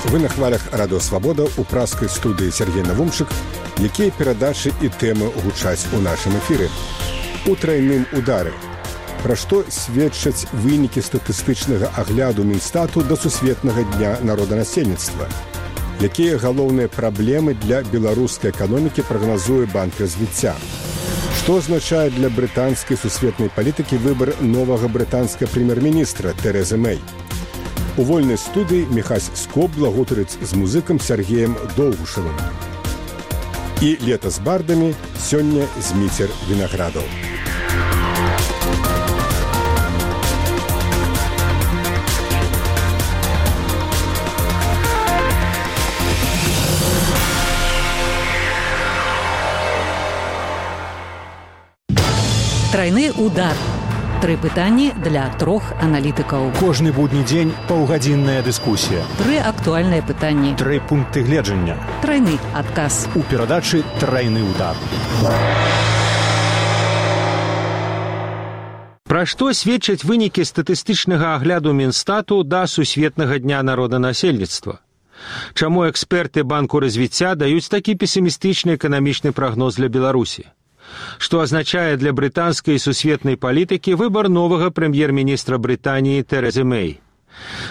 Вы на хвалях Радыё Свабода ў праскай студыі Сергей Навумчык, якія перадачы і тэмы гучаць у нашым эфіры. У трайным удары. Пра што сведчаць вынікі статыстычнага агляду Мінстату да Сусветнага дня народанасельніцтва? Якія галоўныя праблемы для беларускай эканомікі прагназуе Банк развіцця? Што азначае для брытанскай сусветнай палітыкі выбар новага брытанскага прэм'ер-міністра Тэрэзы Мэй? У вольнай студыі Міхась Скобла гутарыць з музыкам Сергеем Долгушевым. І лета з бардамі сёння Зміцер Вінаградаў. Трайны удар. Тры пытанні для трох аналітыкаў. Кожны будні дзень паўгадзінная дыскусія. Тры актуальныя пытанні. Тры пункты гледжання. Трайны адказ. У перадачы «Трайны удар». Пра што сведчаць вынікі статыстычнага агляду Мінстату да Сусветнага дня народанасельніцтва? Чаму эксперты Банку развіцця даюць такі песімістычны эканамічны прагноз для Беларусі? Што азначае для брытанскай і сусветнай палітыкі выбар новага прэм'ер-міністра Брытаніі Тэрэзы Мэй?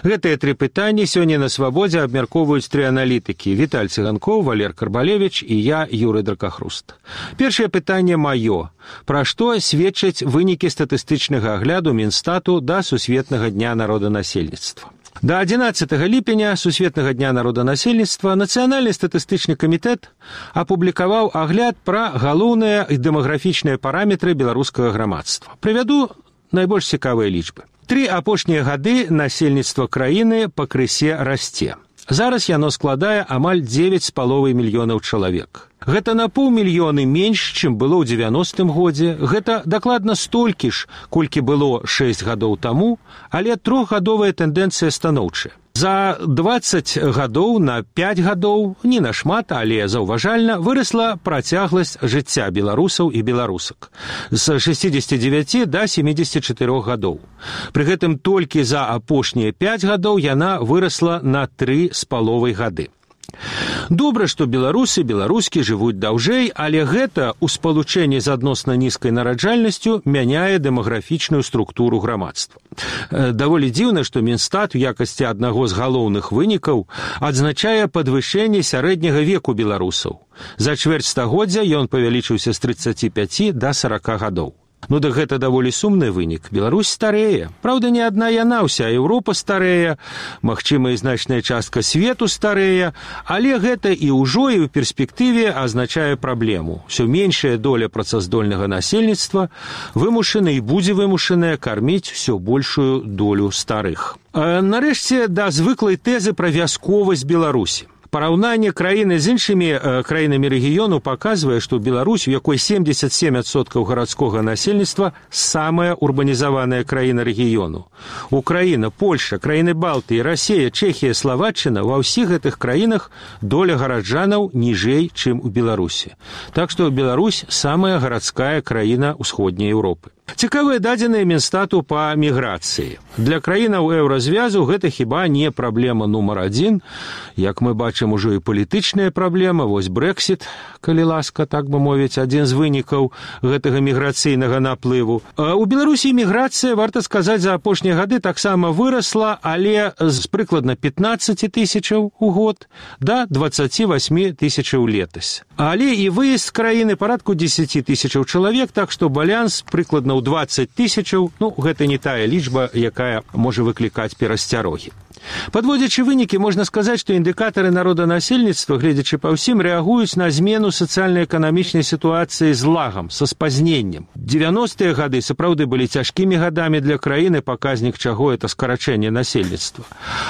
Гэтыя тры пытанні сёння на Свабодзе абмяркоўваюць тры аналітыкі: Віталь Цыганкоў, Валер Карбалевіч і я, Юрый Дракахруст. Першае пытанне маё. Пра што сведчаць вынікі статыстычнага агляду Мінстату да Сусветнага дня народанасельніцтва? До 11 ліпеня Сусветнага дня народанасельніцтва Нацыянальны статыстычны камітэт апублікаваў агляд пра галоўныя дэмаграфічныя параметры беларускага грамадства. Прывяду найбольш цікавыя лічбы. 3 апошнія гады насельніцтва краіны пакрысе расце. Зараз яно складае амаль 9,5 мільёнаў чалавек. Гэта на 500,000 менш, чым было ў 90-м годзе. Гэта дакладна столькі ж, колькі было 6 гадоў таму, але трохгадовая тэндэнцыя станоўчая. За 20 гадоў на 5 гадоў, не нашмат, але заўважальна, вырасла працягласць жыцця беларусаў і беларусак з 69 да 74 гадоў. Пры гэтым толькі за апошнія 5 гадоў яна вырасла на 3,5 гады. Добра, што беларусы, беларускі жывуць даўжэй, але гэта ў спалучэнні з адносна нізкай нараджальнасцю мяняе дэмаграфічную структуру грамадства. Даволі дзіўна, што Мінстат у якасці аднаго з галоўных вынікаў адзначае падвышэнне сярэдняга веку беларусаў. За чвэрць стагоддзя ён павялічыўся з 35 да 40 гадоў. Ну да гэта даволі сумны вынік. Беларусь старэе. Праўда, не адна яна, уся Еўропа старэе, магчыма, і значная частка свету старэе, але гэта і ўжо і ў перспектыве азначае праблему. Усё меншая доля працаздольнага насельніцтва вымушана і будзе вымушаная карміць усё большую долю старых. Нарэшце, да звыклай тэзы пра вясковасць Беларусі. Параўнанне краіны з іншымі краінамі рэгіёну паказвае, што Беларусь, у якой 77% гарадскога насельніцтва, самая урбанізаваная краіна рэгіёну. Украіна, Польша, краіны Балтыі, Расія, Чэхія, Славаччына — ва ўсіх гэтых краінах доля гараджанаў ніжэй, чым у Беларусі. Так што Беларусь самая гарадская краіна ўсходняй Еўропы. Цікавыя дадзеныя Мінстату па міграцыі. Для краінаў еўразвязу гэта хіба не праблема нумар 1. Як мы бачым, ужо і палітычная праблема. Вось Брэксіт, калі ласка, так бы мовіць, адзін з вынікаў гэтага міграцыйнага наплыву. У Беларусі міграцыя, варта сказаць, за апошнія гады таксама вырасла, але з прыкладна 15 тысячаў у год да 28 тысячаў летась. Але і выезд з краіны парадку 10 тысячаў чалавек, так што балянс прыкладна ў 20 тысячаў, гэта не тая лічба, якая можа выклікаць перасцярогі. Падводзячы вынікі, можна сказаць, што індыкатары народанасельніцтва, гледзячы па ўсім, рэагуюць на змену сацыяльна-эканамічнай сітуацыі з лагам, са спазненнем. 90-е гады сапраўды былі цяжкімі гадамі для краіны, паказнік чаго — это скарачэнне насельніцтва.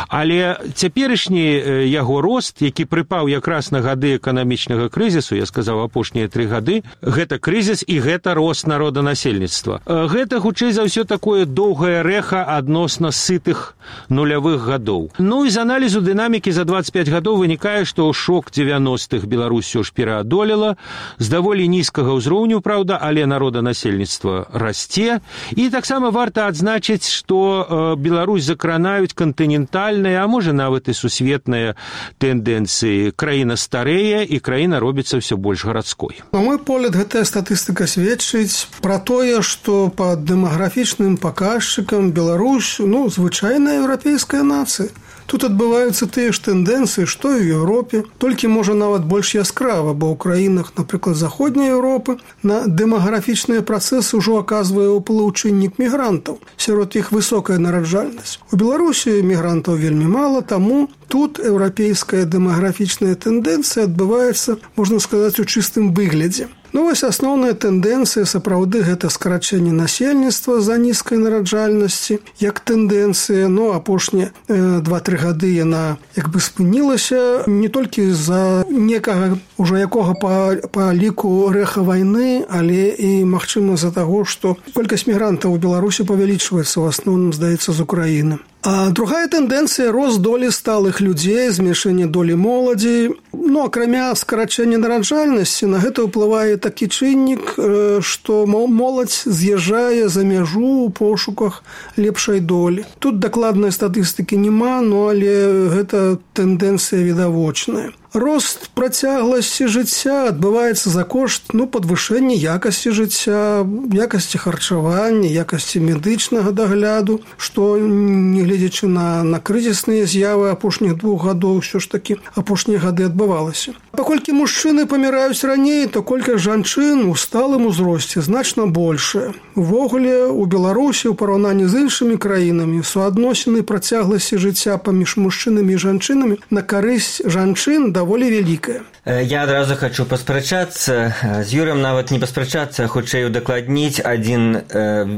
Але цяперашні яго рост, які прыпаў якраз на гады эканамічнага крызісу, я сказаў, апошнія 3 гады, гэта крызіс і гэта рост народанасельніцтва. Гэта, хутчэй за ўсё, такое доўгае рэха адносна сытых нулявых гадоў гадоў. Ну і з аналізу дынамікі за 25 гадоў вынікае, што шок 90-х Беларусь усё ж пераадолела, з даволі нізкага ўзроўню, праўда, але народанасельніцтва расце. І таксама варта адзначыць, што Беларусь закранаюць кантынентальныя, а можа нават і сусветныя тэндэнцыі. Краіна старэе, і краіна робіцца ўсё больш гарадской. На мой погляд, гэтая статыстыка сведчыць пра тое, што па дэмаграфічным паказчыкам Беларусь, звычайная еўрапейская нацыя. Тут адбываюцца тыя ж тэндэнцыі, што і ў Еўропе, толькі, можа, нават больш яскрава, бо ў краінах, напрыклад, заходняй Еўропы на дэмаграфічныя працэсы ўжо аказвае ўплыў чыннік мігрантаў. Сярод іх высокая нараджальнасць. У Беларусі мігрантаў вельмі мала, таму тут еўрапейская дэмаграфічная тэндэнцыя адбываецца, можна сказаць, у чыстым выглядзе. Вось асноўная тэндэнцыя сапраўды гэта скарачэнне насельніцтва з-за нізкай нараджальнасці. Як тэндэнцыя, апошнія 2-3 гады яна як бы спынілася не толькі з-за некага ўжо якога па ліку рэха вайны, але і, магчыма, з-за таго, што колькасць мігрантаў у Беларусі павялічваецца, ў асноўным, здаецца, з Украіны. А другая тэндэнцыя – рост долі сталых людзей, зменшэнне долі моладзі. Акрамя скарачэння нараджальнасці, на гэта ўплывае такі чыннік, што моладзь з'язджае за мяжу ў пошуках лепшай долі. Тут дакладнай статыстыкі няма, але гэта тэндэнцыя відавочная. Рост працягласці жыцця адбываецца за кошт падвышэння якасці жыцця, якасці харчавання, якасці медычнага дагляду, што, нягледзячы на крызісныя з'явы апошніх 2 гадоў, ўсё ж такі апошнія гады адбывалася. Паколькі мужчыны паміраюць раней, то колькасць жанчын у сталым узросце значна большая. Увогуле, у Беларусі ў параўнанні з іншымі краінамі суадносіны працягласці жыцця паміж мужчынамі і жанчынамі на карысць жанчын даволі вялікая. Я адразу хочу паспрачацца з Юрым, нават не паспрачацца, а хутчэй удакладніць адзін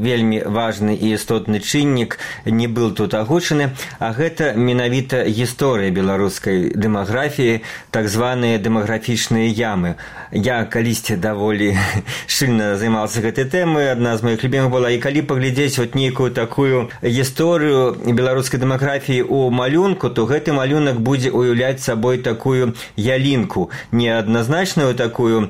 вельмі важны і істотны чыннік не быў тут агучаны, а гэта менавіта гісторыя беларускай дэмаграфіі, так званыя дэмаграфічныя ямы. Я калісьці даволі шчыльна займаўся гэтай тэмай, адна з моих любімых была, і калі паглядзець нейкую такую гісторыю беларускай дэмаграфіі ў малюнку, то гэты малюнак будзе уяўляць сабой такую ялінку, не адназначную такую,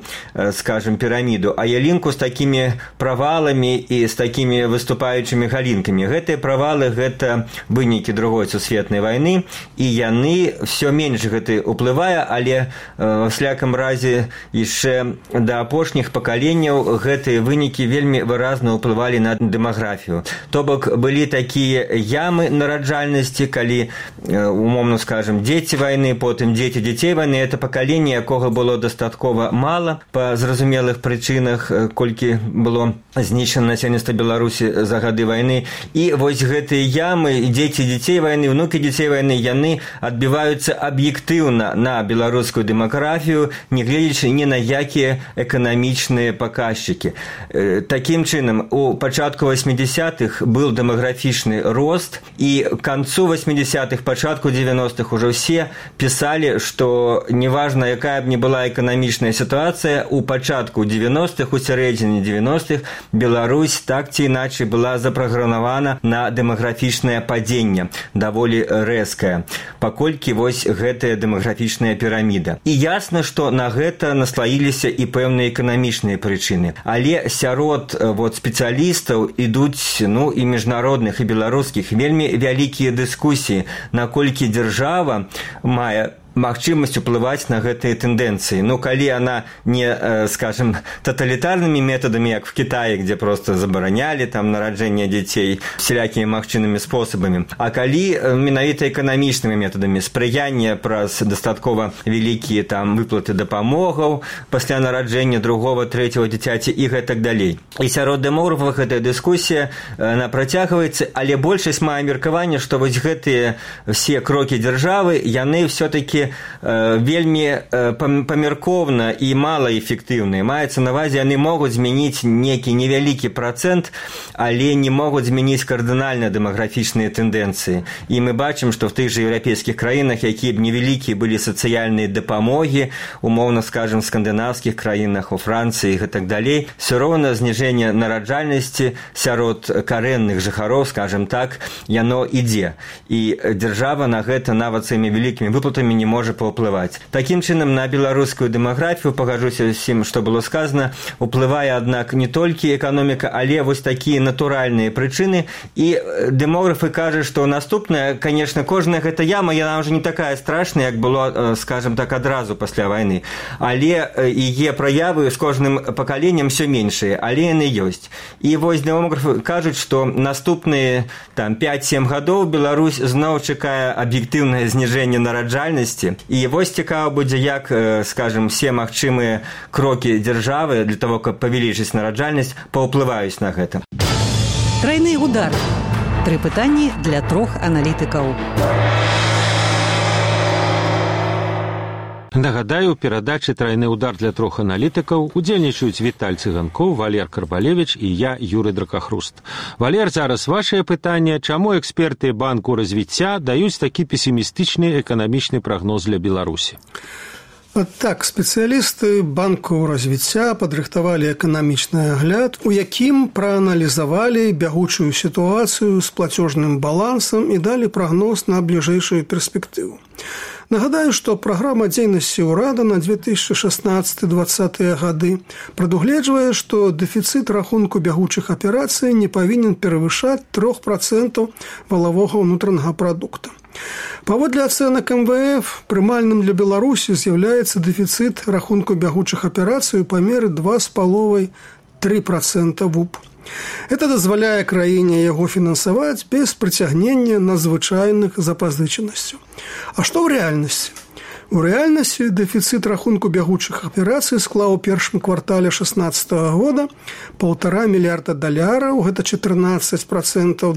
скажем, піраміду, а ялінку з такімі праваламі і з такімі выступаючымі галінкамі. Гэтыя правалы – гэта вынікі другой сусветнай вайны, і яны все менш гэты уплывае, але ва всякім разе яшчэ да апошніх пакаленняў гэтыя вынікі вельмі выразна ўплывалі на дэмаграфію. То бок былі такія ямы нараджальнасці, калі, умоўна скажем, дзеці вайны, потым дзеці дзяцей вайны, это пакаленне, якога было дастаткова мала па зразумелых прычынах, колькі было знішчана насельніцтва Беларусі за гады вайны. І вось гэтыя ямы, дзеці дзяцей вайны, внукі дзяцей вайны, яны адбіваюцца аб'ектыўна на беларускую дэмаграфію, нягледзячы ні на якія эканамічныя паказчыкі. Такім чынам, у пачатку 80-х быў дэмаграфічны рост, і к канцу 80-х, пачатку 90-х ужо все пісалі, што неважна, якая б ні была эканамічная сітуацыя, у пачатку 90-х, у сярэдзіне 90-х Беларусь так ці іначай была запраграмавана на дэмаграфічнае падзенне, даволі рэзкае, паколькі вось гэтая дэмаграфічная піраміда. І ясна, што на гэта наслаіліся і пэўныя эканамічныя прычыны. Але сярод спецыялістаў ідуць, і міжнародных, і беларускіх, вельмі вялікія дыскусіі, наколькі дзяржава мае магчымасць уплываць на гэтыя тэндэнцыі. Калі яна не, скажем, таталітарнымі метадамі, як в Кітаі, где просто забаранялі там нараджэнне дзяцей всялякімі магчымымі спосабамі, а калі менавіта эканамічнымі метадамі, спрыянне праз дастаткова вялікія там выплаты дапамогаў пасля нараджэння другого, трэцяго дзіцяці і гэтак далей. І сярод дэмографаў гэтая дыскусія она працягваецца, але большасць мае меркаванне, што вось гэтыя все крокі дзяржавы, яны все-таки былі вельмі памяркоўна і малаэфектыўныя. Маецца на ўвазе, яны могуць змяніць некі невялікі працэнт, але не могуць змяніць кардынальна дэмаграфічныя тэндэнцыі. І мы бачым, што в тых жа еўрапейскіх краінах, якія б невялікія былі сацыяльныя дапамогі, умоўна скажам, в скандынаўскіх краінах, у Францыі і так далей, все роўна зніжэнне нараджальнасці сярод карэнных жыхароў, скажем так, яно ідзе. І дзяржава на гэта нават сваімі вялікімі выплатамі не можа паўплываць. Такім чынам, на беларускую дэмаграфію, пагаджуся з усім, што было сказана, уплывае, аднак, не толькі эканоміка, але вось такія натуральныя прычыны. І дэмографы кажуць, што наступная, конечно, кожная гэта яма, яна ўжо не такая страшная, як было, скажем так, адразу пасля вайны. Але яе праявы з кожным пакаленнем все меншыя, але яны ёсць. І вось дэмографы кажуць, што наступныя 5-7 гадоў Беларусь зноў чакае аб'ектыўнае зніжэнне нараджальнасці. І вось цікава будзе, як, скажем, все магчымыя крокі дзяржавы для того, каб павялічыць нараджальнасць, паўплываюць на гэта. Трайны удар. 3 пытанні для 3 аналітыкаў. Нагадаю, у перадачы «Трайны удар» для 3 аналітыкаў удзельнічаюць Віталь Цыганкоў, Валер Карбалевіч і я, Юрый Дракахруст. Валер, зараз вашае пытанне. Чаму эксперты Банку развіцця даюць такі песімістычны эканамічны прагноз для Беларусі? Так, спецыялісты Банку развіцця падрыхтавалі эканамічны агляд, у якім прааналізавалі бягучую сітуацыю з плацёжным балансам і далі прагноз на бліжэйшую перспектыву. Нагадаю, што праграма дзейнасці ўрада на 2016-2020 гады прадугледжвае, што дэфіцыт рахунку бягучых аперацый не павінен перавышаць 3% валавога ўнутранага прадукта. Паводле ацэнак МВФ, прымальным для Беларусі з'яўляецца дэфіцыт рахунку бягучых аперацый у памеры 2,5–3% ВУП. Это дазваляе краіне яго фінансаваць без прыцягнення надзвычайных запазычанасцяў. А што ў рэальнасці? У рэальнасці дэфіцыт рахунку бягучых аперацый склаў у першым квартале 2016 года $1,5 мільярда, гэта 14%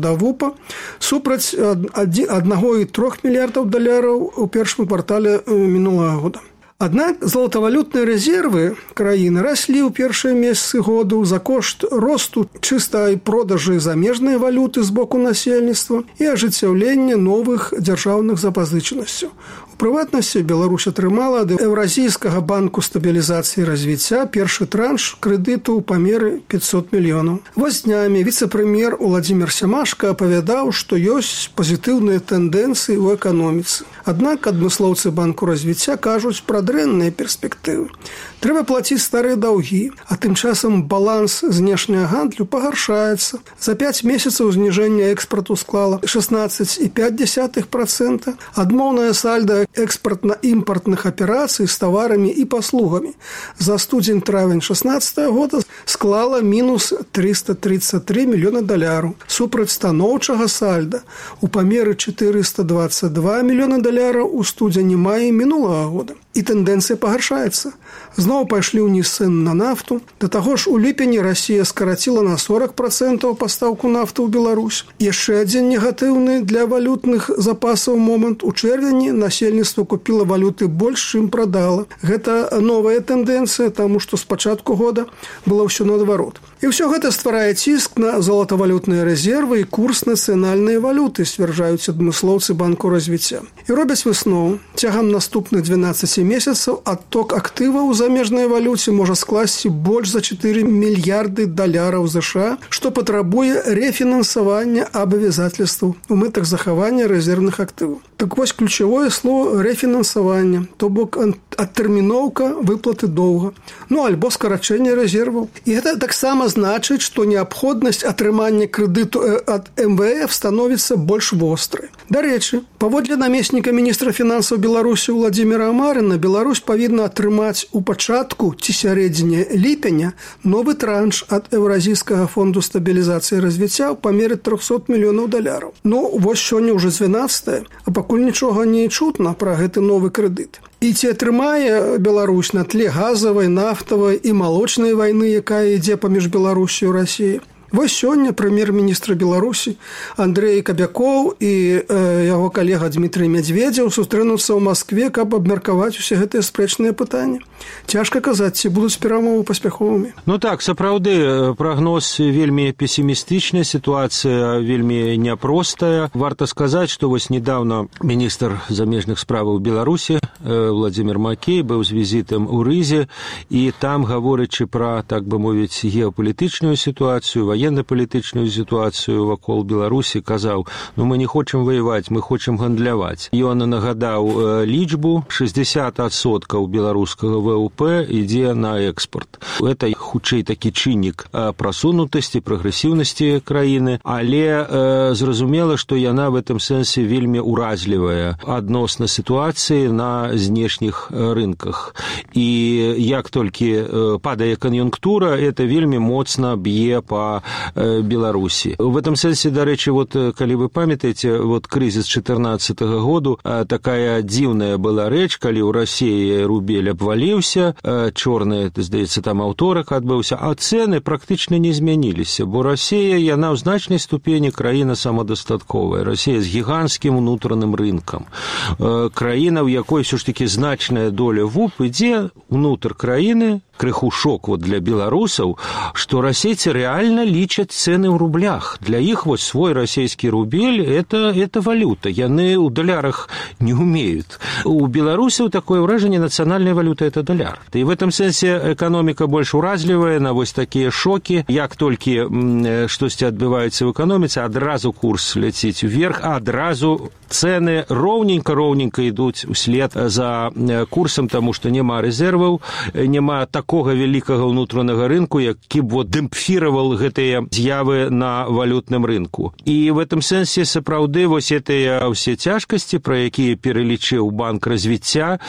да ВУПа, супраць $1,3 мільярда у першым квартале мінулага года. Аднак золатавалютныя рэзервы краіны раслі ў першыя месяцы году за кошт росту чыстай продажы замежнай валюты з боку насельніцтва і ажыццяўлення новых дзяржаўных запазычанасцяў. У прыватнасці, Беларусь атрымала ад Еўразійскага банку стабілізацыі і развіцця першы транш крэдыту ў памеры 500 мільёнаў. Вось днямі віцэ-прэм'ер Уладзімір Сямашка апавядаў, што ёсць пазітыўныя тэндэнцыі ў эканоміцы. Аднак адмыслоўцы Банку развіцця кажуць пра дрэнныя перспектывы. Трэба плаціць старыя даўгі, а тым часам баланс знешняга гандлю пагаршаецца. За 5 месяцаў зніжэння экспарту склала 16,5%, адмоўнае сальда экспартна-імпартных аперацый з таварамі і паслугамі за студзень-травень 2016 года склала мінус $333 мільёна, супраць станоўчага сальда у памеры $422 мільёна у студзені-маі мінулага года. І тэндэнцыя пагаршаецца. Зноў пайшлі ўніз цэны на нафту. Да таго ж у ліпені Расія скараціла на 40% пастаўку нафты ў Беларусь. Яшчэ адзін негатыўны для валютных запасаў момант. У чэрвені насельніцтва купіла валюты больш, чым прадала. Гэта новая тэндэнцыя, таму што з пачатку года было ўсё наадварот. І ўсё гэта стварае ціск на золатавалютныя рэзервы і курс нацыянальнай валюты, сцвярджаюць адмыслоўцы Банку развіцця. І робяць выснову. Цягам наступных 12 месяцаў адток актываў у замежнай валюце можа скласці больш за $4 мільярды США, што патрабуе рэфінансавання абавязательстваў у мэтах захавання рэзервных актываў. Так вось ключавое слово рэфінансавання, то бок адтэрміноўка выплаты доўга, альбо скарачэнне рэзерваў. І гэта таксама значыць, што неабходнасць атрымання крэдыту ад МВФ становіцца больш вострай. Дарэчы, паводле намесніка міністра фінансаў Беларусі Уладзіміра Амарына, Беларусь павінна атрымаць у пачатку ці сярэдзіне ліпеня новы транш ад Еўразійскага фонду стабілізацыі і развіцця ў памеры $300 мільёнаў. Вось сёння ўжо 12, а пакуль нічога не чутна пра гэты новы крэдыт. І ці атрымае Беларусь на тле газавай, нафтавай і малочнай вайны, якая ідзе паміж Беларусю і Расіяй? Вось сёння прэм'ер-міністр Беларусі Андрэй Кабякоў і яго калега Дмітрый Мядзведзеў сустрэнуцца ў Маскве, каб абмеркаваць усе гэтыя спрэчныя пытанні. Цяжка казаць, ці будуць перамовы паспяховымі. Ну так, сапраўды, прагноз вельмі песімістычны, сітуацыя вельмі няпростая. Варта сказаць, што вось недавно міністр замежных справаў Беларусі Владзімір Макей быў з візітам у Рызе, і там, гаворачы пра, так бы мовіць, геапалітычную сітуацыю, военно-палітычную сітуацыю вакол Беларусі, казаў, ну мы не хочам ваяваць, мы хочам гандляваць. Ён нагадаў лічбу, 60% беларускага ВВП ідзе на экспорт. Это хутчэй такі чыннік прасунутасці, прагрэсіўнасці краіны, але зразумела, што яна в этом сэнсе вельмі уразлівая адносна сітуацыі на знешніх рынках. І як толькі падае кан'юнктура, это вельмі моцна б'е па Беларусі. В этом сэнсе, дарэчы, вот, калі вы памятаеце, вот крызіс 2014 году, такая дзіўная была рэч, калі ў Расіі рубель абваліўся, чорны, здаецца, там аўторак адбыўся, а цэны практычна не змяніліся, бо Расія, яна ў значнай ступені краіна самадастатковая. Расія з гіганцкім унутраным рынкам. Краіна, у якой ўсё ж такі значная доля ВУП ідзе ўнутр краіны, крыху шок вот для беларусаў, што расейцы рэальна лічаць цэны ў рублях. Для іх вот свой расійскі рубель это валюта. Яны ў далярах не умеют. У беларусаў такое ўражанне, нацыянальная валюта это даляр. І в этом сэнсе эканоміка больш уразлівая на вось такія шокі. Як толькі штосьці адбываецца ў эканоміцы, адразу курс ляціць уверх, а адразу цэны роўненька ідуць услед за курсам, таму што няма рэзерваў, няма такога вялікага ўнутранага рынку, які б вот дэмпфіравал гэтыя з'явы на валютным рынку. І в этом сэнсе сапраўды вось гэтыя ўсе цяжкасці, пра якія пералічыў Банк развіцця,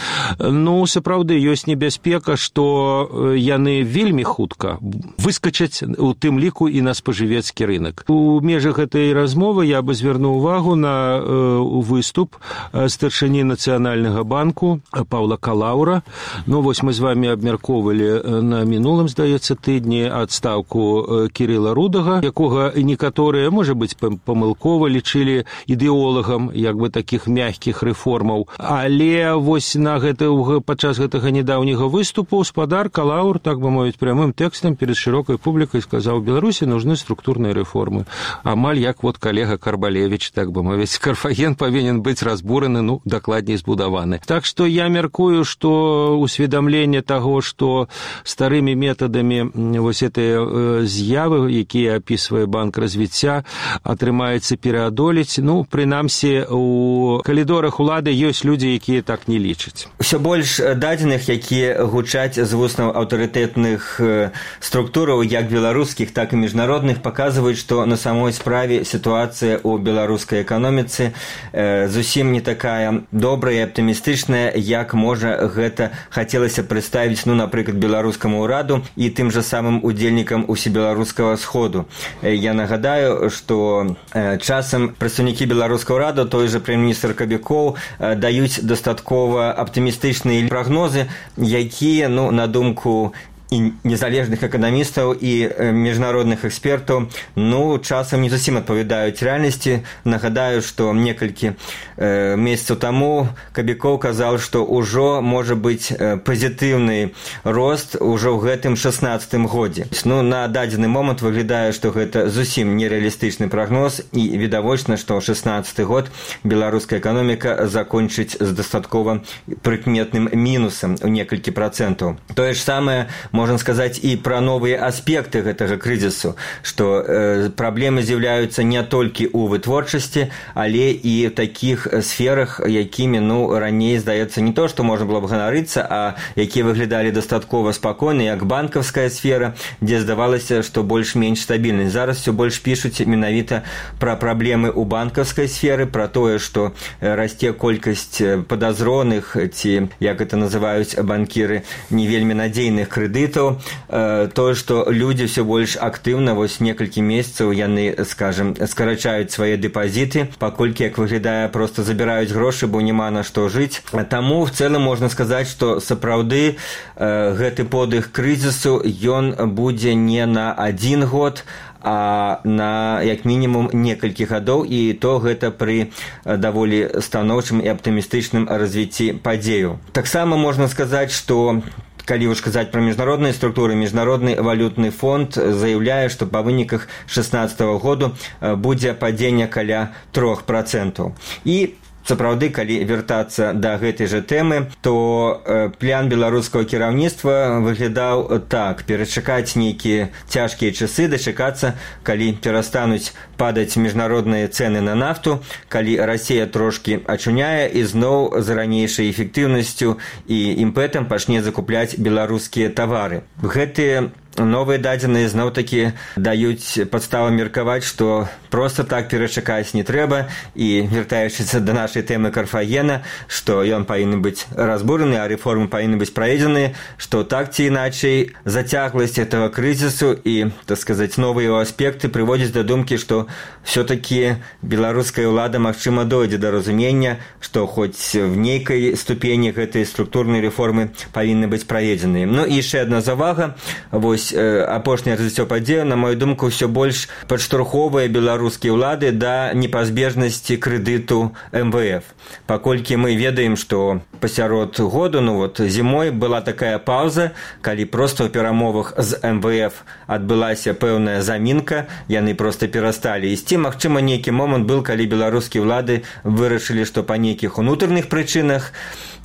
ну, сапраўды ёсць небяспека, што яны вельмі хутка выскачаць у тым ліку і на спажывецкі рынак. У межах гэтай размовы я бы звярнуў увагу на выступ старшыні Нацыянальнага банку Паўла Калаўра. Ну, вось мы з вами абмяркоўвалі на мінулым, здаецца, тыдні адстаўку Кірыла Рудага, якога некаторыя, можа быць, памылкова лічылі ідэолагам як бы такіх мягкіх рэформаў. Але вось падчас гэтага недаўняга выступу спадар Калаўр, так бы мовіць, прямым тэкстам перед шырокай публікай сказаў: Беларусі нужны структурныя рэформы. Амаль як вот калега Карбалевіч, так бы мовіць, Карфаген павінен быць разбураны, ну, дакладней збудаваны. Так што я мяркую, што усведамленне таго, што старымі метадамі вось гэтыя з'явы, якія апісвае Банк развіцця, атрымаецца пераадолець. Ну, прынамсі, у калідорах улады ёсць людзі, якія так не лічаць. Усё больш дадзеных, якія гучаць з вуснаў аўтарытэтных структураў, як беларускіх, так і міжнародных, паказваюць, што на самой справе сітуацыя ў беларускай эканоміцы зусім не такая добрая і аптымістычная, як можа гэта хацелася прадставіць, ну, напрыклад, беларускаму ўраду і тым жа самым удзельнікам усебеларускага сходу. Я нагадаю, што часам прадстаўнікі беларускага ўраду, той жа прэм'ер-міністр Кабякоў, даюць дастаткова аптымістычныя прагнозы, якія, ну, на думку і незалежных эканамістаў і міжнародных экспертаў, ну, часам не зусім адпавядаюць рэальнасці. Нагадаю, што некалькі месяцаў таму Кабякоў казаў, што ўжо можа быць пазітыўны рост ужо ў гэтым 16-м годзе. Ну, на дадзены момант выглядае, што гэта зусім нерэалістычны прагноз, і відавочна, што 16-й год беларуская эканоміка закончыць з дастаткова прыкметным мінусам у некалькі працэнтаў. Тое ж самае можна сказаць і пра новыя аспекты гэтага крызісу, што праблемы з'яўляюцца не толькі ў вытворчасці, але і ў такіх сферах, якімі, ну, раней, здаецца, не то, што можна было б ганарыцца, а якія выглядалі дастаткова спакойна, як банкаўская сфера, дзе здавалася, што больш-менш стабільнасць. Зараз все больш пішуць менавіта пра праблемы ў банкаўскай сферы, пра тое, што расце колькасць падазроных, ці, як гэта называюць банкіры, не вельмі надзейных крэдытаў, тое, што людзі ўсё больш актыўна, вось некалькі месяцаў яны, скажем, скарачаюць свае дэпазіты, паколькі, як выглядае, проста забіраюць грошы, бо няма на што жыць. Таму в цэлым можна сказаць, што сапраўды гэты подых крызісу, ён будзе не на 1 год, а на як мінімум некалькі гадоў, і то гэта пры даволі станоўчым і аптымістычным развіцці падзею. Таксама можна сказаць, што калі ўж казаць пра міжнародныя структуры, міжнародны валютны фонд заяўляе, што па выніках 2016 году будзе падзенне каля 3%. І сапраўды, калі вяртацца да гэтай жа тэмы, то план беларускага кіраўніцтва выглядаў так: перачакаць нейкія цяжкія часы, дачакацца, калі перастануць падаць міжнародныя цэны на нафту, калі Расія трошкі ачуняе і зноў з ранейшай эфектыўнасцю і імпэтам пачне закупляць беларускія тавары. Гэтыя новыя дадзеныя зноў-такі даюць падставу меркаваць, што проста так перачакаць не трэба, і вяртаючыся да нашай тэмы Карфагена, што ён павінен быць разбураны, а рэформы павінны быць праведзены, што так ці іначай зацягласць этого крызісу і, так сказаць, новыя яго аспекты прыводзяць да думкі, што все-таки беларуская ўлада, магчыма, дойдзе да разумення, што хоць в нейкай ступені гэтай структурнай рэформы павінны быць праведзеныя. Ну і яшчэ адна завага. Вось апошняе развіццё падзею, на мою думку, ўсё больш падштурхоўвае беларускія ўлады да непазбежнасці крэдыту МВФ. Паколькі мы ведаем, што пасярод году, зімой была такая паўза, калі проста ў перамовах з МВФ адбылася пэўная замінка, яны проста перасталі ісці. Магчыма, нейкі момант был, калі беларускія ўлады вырашылі, што па нейкіх унутраных прычынах,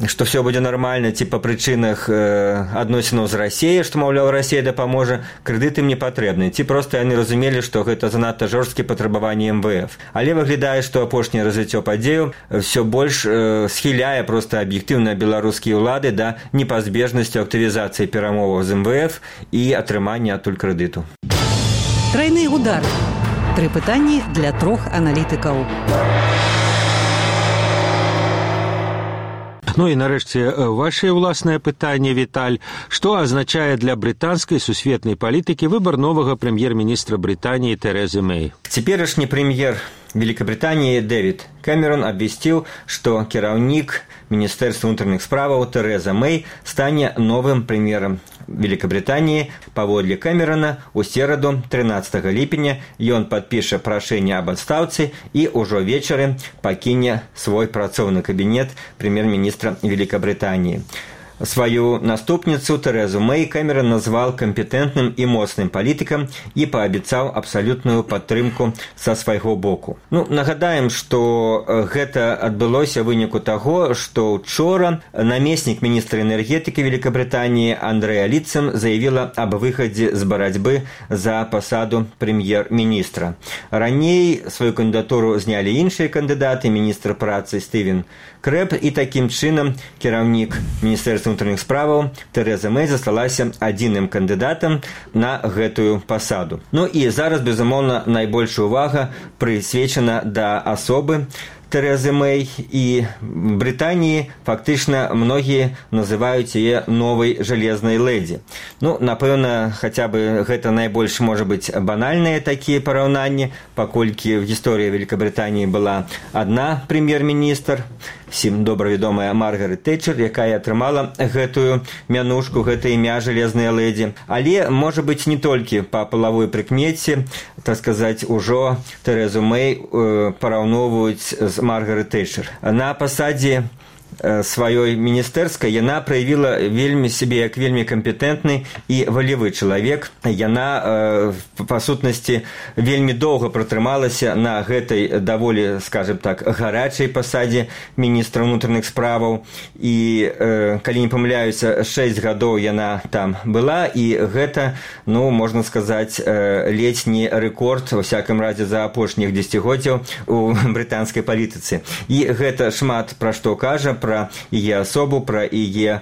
што все будзе нармальна, ці па прычынах адносінаў з Расіяй, што, маўляў, Расія дапаможа, крэдыты мне патрэбны, ці проста яны разумелі, што гэта занадта жорсткія патрабаванні МВФ. Але выглядае, што апошняе развіццё падзею все больш схіляе проста аб'ектыўна беларускія ўлады да непазбежнасці актывізацыі перамоваў з МВФ і атрымання адтуль крэдыту. Трайны удар. 3 пытанні для 3 аналітыкаў. Ну і нарэшце ваше ўласнае пытанне, Віталь. Што азначае для брытанскай сусветнай палітыкі выбар новага прэм'ер-міністра Брытаніі Тэрэзы Мэй? Цяперашні прэм'ер Великобритании Дэвид Кэмерон абвясціў, што кіраўнік Міністэрства ўнутраных справаў Тэрэза Мэй стане новым прэм'ерам Великобритании. Паводле Кэмерона у сераду 13 ліпеня ён падпіша прашэнне аб адстаўцы і ўжо вечары пакіне свой працоўны кабінет прэм'ер-міністра Великобритании. Свою наступніцу Тэрэзу Мэй Кэмерон назвал кампетэнтным і моцным палітыкам і паабяцаў абсалютную падтрымку са свайго боку. Нагадаем, што гэта адбылося выніку таго, што ўчора намеснік міністра энергетыкі Великобритании Андрэа Літцэм заявіла аб выхадзе з барацьбы за пасаду прэм'ер-міністра. Раней сваю кандыдатуру знялі іншыя кандыдаты, міністр працы Стывен Крэб, і такім чынам кіраўнік Міністэрства ўнутраных справаў Тэрэза Мэй засталася адзіным кандыдатам на гэтую пасаду. І зараз, безумоўна, найбольшая ўвага прысвечана да асобы Тэрэзы Мэй, і Брытаніі фактычна многія называюць яе новай жалезнай лэдзі. Напэўна, хаця бы гэта найбольш, можа быць, банальныя такія параўнанні, паколькі в гісторыі Великобритании была адна прэм'ер-міністр, всім добра вядомая Маргарет Тэчэр, якая атрымала гэтую мянушку, гэта імя жалезная лэдзі. Але, можа быць, не толькі па палавой прыкмеце, так сказаць, ужо Тэрэзу Мэй параўноўваюць з Маргарет Тэчэр. На пасадзе сваёй міністэрскай яна праявіла сябе як вельмі кампетэнтны і валевы чалавек. Яна, па сутнасці, вельмі доўга пратрымалася на гэтай даволі, скажем так, гарачай пасадзе міністра ўнутраных справаў. І, калі не памыляюся, 6 гадоў яна там была, і гэта, можна сказаць, ледзь не рэкорд, во всякім разе, за апошніх дзесяцігоддзяў у брытанскай палітыцы. І гэта шмат пра што кажа, пра яе асобу, пра яе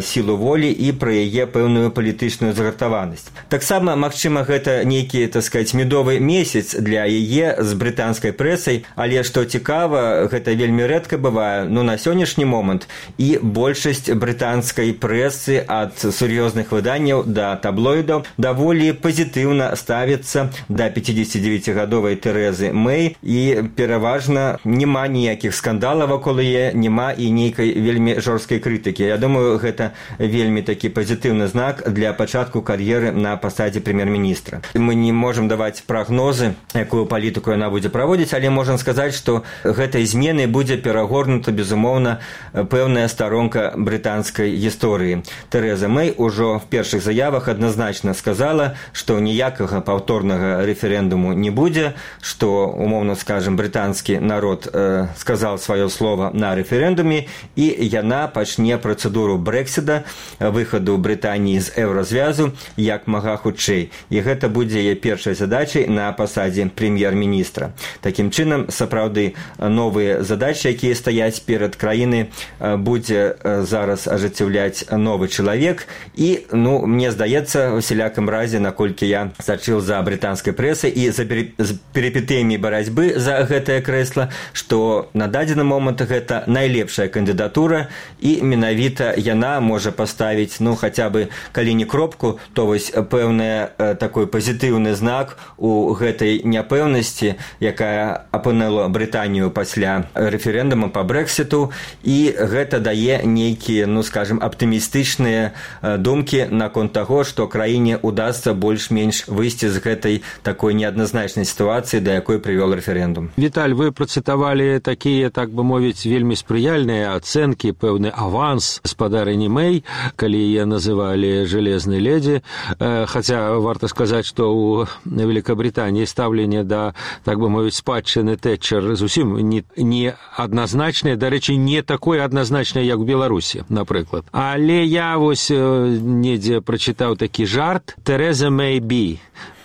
сілу волі і пра яе пэўную палітычную загартаванасць. Таксама, магчыма, гэта нейкі, так сказаць, медовы месяц для яе з брытанскай прэсай, але, што цікава, гэта вельмі рэдка бывае, на сённяшні момант і большасць брытанскай прэсы ад сур'ёзных выданняў да таблоідаў даволі пазітыўна ставіцца да 59-гадовай Тэрэзы Мэй, і пераважна няма ніякіх скандалаў вакол яе, няма і нейкіх нейкай вельмі жорсткай крытыкі. Я думаю, гэта вельмі такі пазітыўны знак для пачатку кар'еры на пасадзе прэм'ер-міністра. Мы не можам даваць прагнозы, якую палітыку яна будзе праводзіць, але можам сказаць, што гэтай змены будзе перагорнута, безумоўна, пэўная старонка брытанскай гісторыі. Тэрэза Мэй ужо в першых заявах адназначна сказала, што ніякага паўторнага рэферэндуму не будзе, што, умоўна скажем, брытанскі народ сказал сваё слово на рэферэндуме, і яна пачне працэдуру Брэксіта, выхаду Брытаніі з еўразвязу як мага хутчэй. І гэта будзе яе першай задачай на пасадзе прэм'ер-міністра. Такім чынам, сапраўды, новыя задачы, якія стаяць перад краінай, будзе зараз ажыццяўляць новы чалавек. І, мне здаецца, у всялякім разе, наколькі я сачыў за брытанскай прэсай і за перипетыямі барацьбы за гэтае крэсла, што на дадзены момант гэта найлепшая кандыдатура, і менавіта яна можа паставіць, хаця бы, калі не кропку, то вось пэўны такой пазітыўны знак у гэтай няпэўнасці, якая апынула Брытанію пасля рэферэндума па Брэксіту, і гэта дае нейкія, скажем, аптымістычныя думкі наконт таго, што краіне удасца больш-менш выйсці з гэтай такой неадназначнай сітуацыі, да якой прывёл рэферэндум. Віталь, вы працытавалі такія, так бы мовіць, вельмі спрыяльныя ацэнкі, пэўны аванс спадарыні Мэй, калі яе называлі «железнай ледзі», хаця варта сказаць, што ў Великабрытаніі стаўленне да, так бы мовіць, спадчыны Тэтчер зусім не адназначнае, дарэчы, не такое адназначнае, як у Беларусі, напрыклад. Але я вось недзе прачытаў такі жарт «Тереза Мэй Би».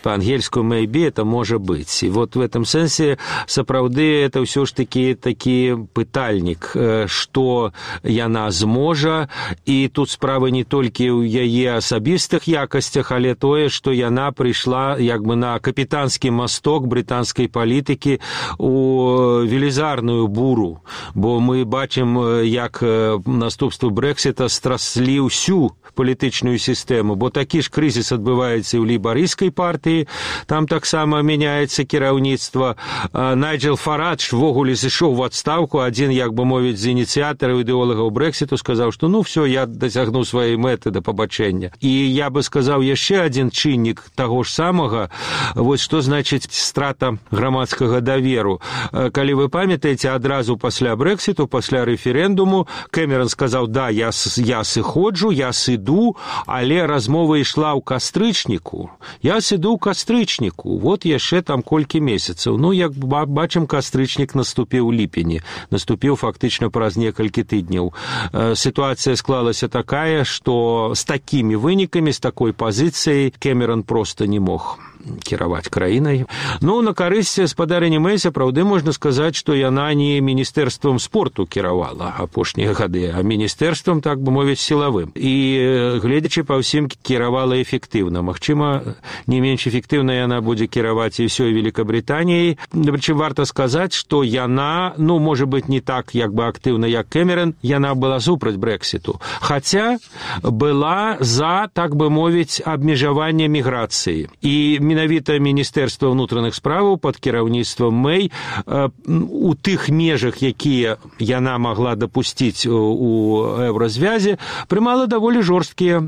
По-ангельску «maybe» это «может быть». И вот в этом сенсе, сапраўды, это все ж таки пытальник, что яна зможа, и тут справа не толькі ў яе асабістых якасцях, але тое, што яна прыйшла як бы на капітанскі масток брытанскай палітыкі у велізарную буру, бо мы бачым, як наступствы Брэксіта страслі ўсю палітычную сістэму, бо такі ж крызіс адбываецца і ў лейбарыйскай партыі, там таксама мяняецца кіраўніцтва. Найджел Фарадж ввогуле зышоў в адстаўку, адзін, як бы мовіць, з ініцыятараў ідэолагаў Брэксіту сказаў, што все, я дасягну сваёй мэты да пабачэння. І я бы сказаў яшчэ адзін чыннік таго ж самага, вось што значыць страта грамадскага даверу. Калі вы памятаеце, адразу пасля Брэксіту, пасля рэферэндуму, Кэмерон сказаў, да, я сыходжу, я сыду, але размова ішла ў кастрычніку. Я сыду ў кастрычніку. Вот яшчэ там колькі месяцаў. Як бачым, кастрычнік наступіў у ліпені. Наступіў фактычна праз некалькі тыдняў. Сітуацыя склалася такая, што з такімі вынікамі, з такой пазіцыяй Кэмерон проста не мог кіраваць краінай. На карысць спадарыні Мэй, сапраўды можна сказаць, што яна не міністэрствам спорту кіравала апошнія гады, а міністэрствам, так бы мовіць, сілавым. І, гледзячы па ўсім, кіравала эфектыўна. Магчыма, не менш эфектыўна яна будзе кіраваць і ўсёй Великабрытаніяй. Прычым варта сказаць, што яна, можа быць, не так як бы актыўна, як Кэмерон, яна была супраць Брэксіту. Хаця была за, так бы мовіць, абмежаванне міграцыі. І менавіта Міністэрства ўнутраных справаў пад кіраўніцтвам Мэй у тых межах, якія яна магла дапусціць у еўразвязе, прымала даволі жорсткія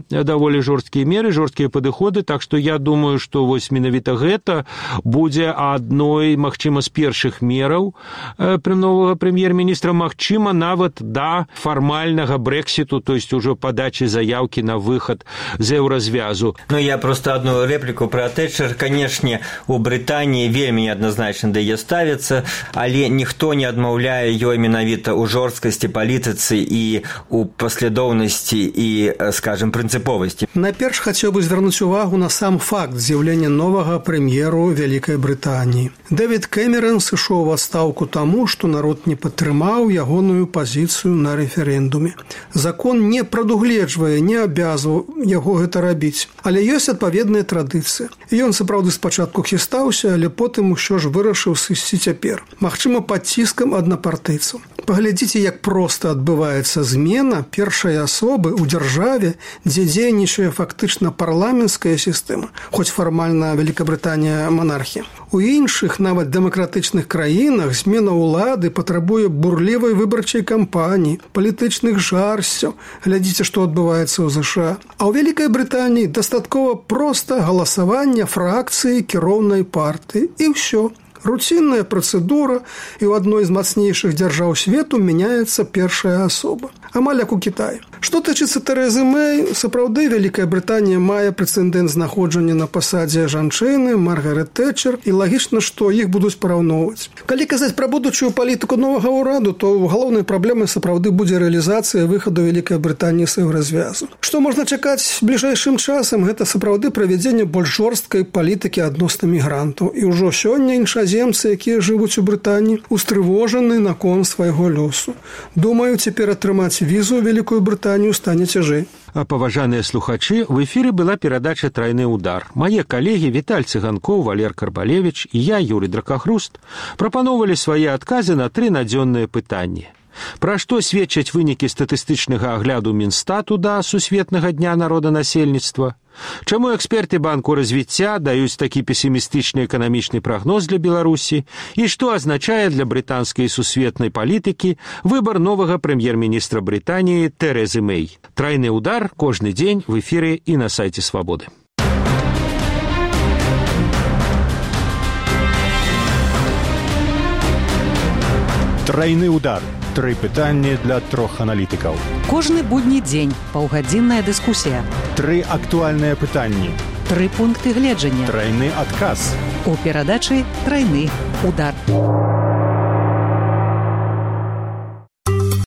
меры, жорсткія падыходы, так што я думаю, што вось менавіта гэта будзе адной, магчыма, з першых мераў новага прэм'ер-міністра, магчыма, нават да фармальнага Брэксіту, то есть ужо падачы заяўкі на выхад з еўразвязу. Я просто одну реплику про Тэтчер. Канешне, у Брытаніі вельмі неадназначна да яе ставіцца, але ніхто не адмаўляе ёй менавіта ў жорсткасці палітыцы і ў паслядоўнасці і, скажем, прынцыповасці. Найперш хацеў бы звярнуць увагу на сам факт з'яўлення новага прэм'еру Вялікай Брытаніі. Дэвід Кэмерон сышоў у адстаўку таму, што народ не падтрымаў ягоную пазіцыю на рэферэндуме. Закон не прадугледжвае, не абавязваў яго гэта рабіць, але ёсць адпаведная традыцыя. Ён сапраўды спачатку хістаўся, але потым усё ж вырашыў сысці цяпер. Магчыма, пад ціскам аднапартыйцаў. Паглядзіце, як проста адбываецца змена першай асобы ў дзяржаве, дзе дзейнічае фактычна парламенцкая сістэма, хоць фармальна Великабрытанія монархія. У іншых, нават дэмакратычных краінах, змена ўлады патрабуе бурлівай выбарчай кампаніі, палітычных жарсцяў. Глядзіце, што адбываецца ў ЗША. А ў Вялікай Брытаніі дастаткова проста галасавання фракцыі кіроўнай партыі. І ўсё. Руцінная працэдура, і ў адной з мацнейшых дзяржаў свету мяняецца першая асоба. Амаль як у Кітаі. Што тычыцца Тэрэзы Мэй, сапраўды Вялікая Брытанія мае прэцэдэнт знаходжання на пасадзе жанчыны, Маргарет Тэтчер, і лагічна, што іх будуць параўноўваць. Калі казаць пра будучую палітыку новага ўраду, то галоўнай праблемай сапраўды будзе рэалізацыя выхаду Вялікай Брытаніі з еўразвязу. Што можна чакаць бліжэйшым часам, гэта сапраўды правядзенне больш жорсткай палітыкі адносна мігрантаў. І ўжо сёння іншаземцы, якія жывуць у Брытаніі, устрывожаны наконт свайго лёсу. Думаю, цяпер атрымаць візу ў Вялікую Брытанію стане цяжэй. А паважаныя слухачы, в эфіры была перадача «Трайны удар». Мае калегі Віталь Цыганкоў, Валер Карбалевіч і я, Юрий Дракахруст, прапаноўвалі свае адказы на 3 надзённыя пытанні. Пра што сведчаць вынікі статыстычнага агляду Мінстату да сусветнага дня народанасельніцтва? Чаму эксперты Банку развіцця даюць такі песімістычны эканамічны прагноз для Беларусі? І што азначае для брытанскай сусветнай палітыкі выбар новага прэм'ер-міністра Брытаніі Тэрэзы Мэй? «Трайны удар» кожны дзень в эфіры і на сайце Свабоды. Трайны удар. 3 пытанні для 3 аналітыкаў. Кожны будні дзень паўгадзінная дыскусія. 3 актуальныя пытанні. 3 пункты гледжання. Трайны адказ. У перадачы «Трайны удар».